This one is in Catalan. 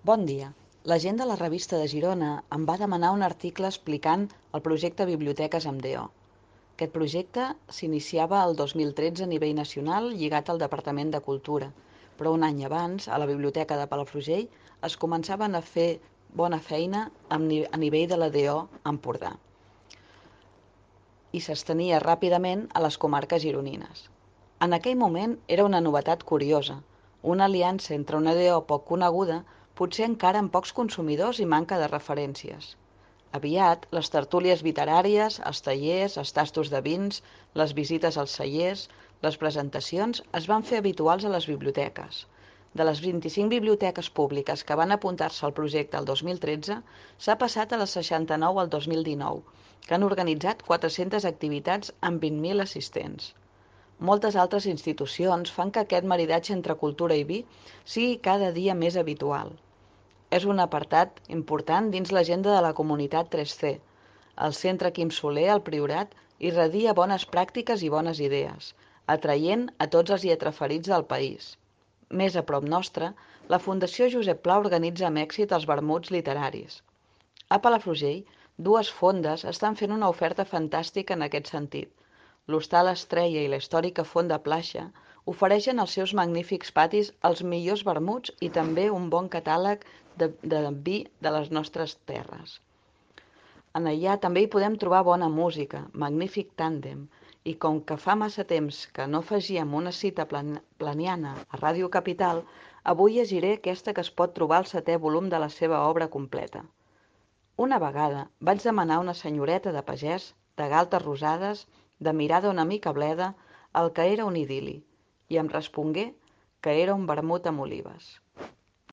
Bon dia. La gent de la Revista de Girona em va demanar un article explicant el projecte Biblioteques amb DO. Aquest projecte s'iniciava el 2013 a nivell nacional lligat al Departament de Cultura, però un any abans, a la Biblioteca de Palafrugell, es començaven a fer bona feina a nivell de la DO Empordà i s'estenia ràpidament a les comarques gironines. En aquell moment era una novetat curiosa, una aliança entre una DO poc coneguda, potser encara amb pocs consumidors i manca de referències. Aviat, les tertúlies literàries, els tallers, els tastos de vins, les visites als cellers, les presentacions es van fer habituals a les biblioteques. De les 25 biblioteques públiques que van apuntar-se al projecte el 2013, s'ha passat a les 69 al 2019, que han organitzat 400 activitats amb 20.000 assistents. Moltes altres institucions fan que aquest maridatge entre cultura i vi sigui cada dia més habitual. És un apartat important dins l'agenda de la comunitat 3C. El Centre Quim Soler, al Priorat, irradia bones pràctiques i bones idees, atraient a tots els lletraferits del país. Més a prop nostre, la Fundació Josep Pla organitza amb èxit els vermuts literaris. A Palafrugell, dues fondes estan fent una oferta fantàstica en aquest sentit. L'Hostal Estrella i la històrica Fonda Plaixa ofereixen als seus magnífics patis els millors vermuts i també un bon catàleg de vi de les nostres terres. En allà també hi podem trobar bona música, magnífic tàndem, i com que fa massa temps que no afegíem una cita planiana a Ràdio Capital, avui llegiré aquesta que es pot trobar al 7è volum de la seva obra completa. Una vegada vaig demanar a una senyoreta de pagès, de galtes rosades, de mirada una mica bleda, el que era un idil·li, i em respongué que era un vermut amb olives.